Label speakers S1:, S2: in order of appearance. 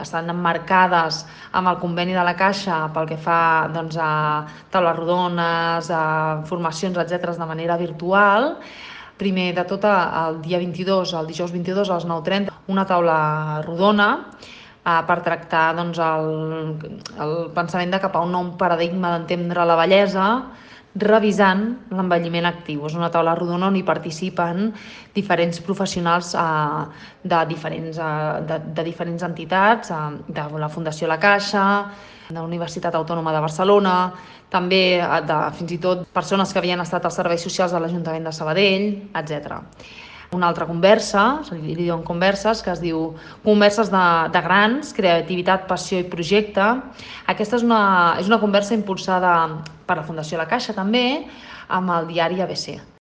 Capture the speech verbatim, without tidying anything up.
S1: estan emmarcades amb el conveni de la Caixa pel que fa doncs, a taules rodones, a formacions, etcètera, de manera virtual. Primer de tot, el dia vint-i-dos, el dijous vint-i-dos a les nou trenta, una taula rodona eh, per tractar doncs, el, el pensament de cap a un nou paradigma d'entendre la bellesa, revisant l'envelliment actiu. És una taula rodona on hi participen diferents professionals eh, de, diferents, eh, de, de diferents entitats, eh, de la Fundació La Caixa, de la Universitat Autònoma de Barcelona, també de, fins i tot persones que havien estat als serveis socials de l'Ajuntament de Sabadell, etcètera. Una altra conversa, se li diuen converses, que es diu Converses de, de grans, creativitat, passió i projecte. Aquesta és una, és una conversa impulsada per la Fundació La Caixa també, amb el diari A B C.